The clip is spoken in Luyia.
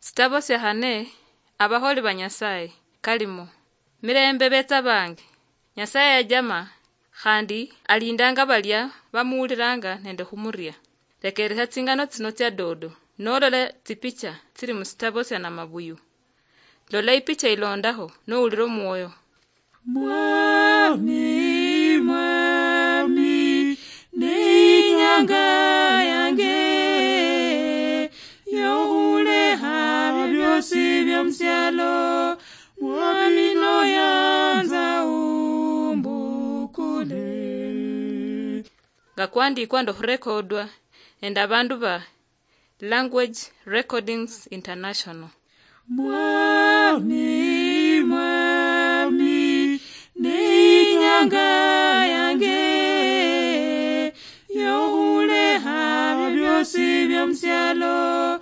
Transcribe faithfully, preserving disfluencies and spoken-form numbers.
Sitabo sia hane, abaholi ba Nyasaye, kalimo. Mirembe betsa bange. Nyasaye yajama, khandi alindanga balia bamuwuliranga nende khumuria. Rekeresia tsingano tsino tsia dodo, nolola tsipicha tsili musitabo sia Namabuyu. Lola ipicha ilondaho, nowulira omwoyo. Mwami, Mwami, ne inyanga yange yohuleha byosi byomusialo, Mwami noyanza umbukule. Nga kwandikwa ndohurekodwa nende abandu ba Language Recordings International. Mwami, Mwami, ne inyanga yange yohuleha byosi byomusialo,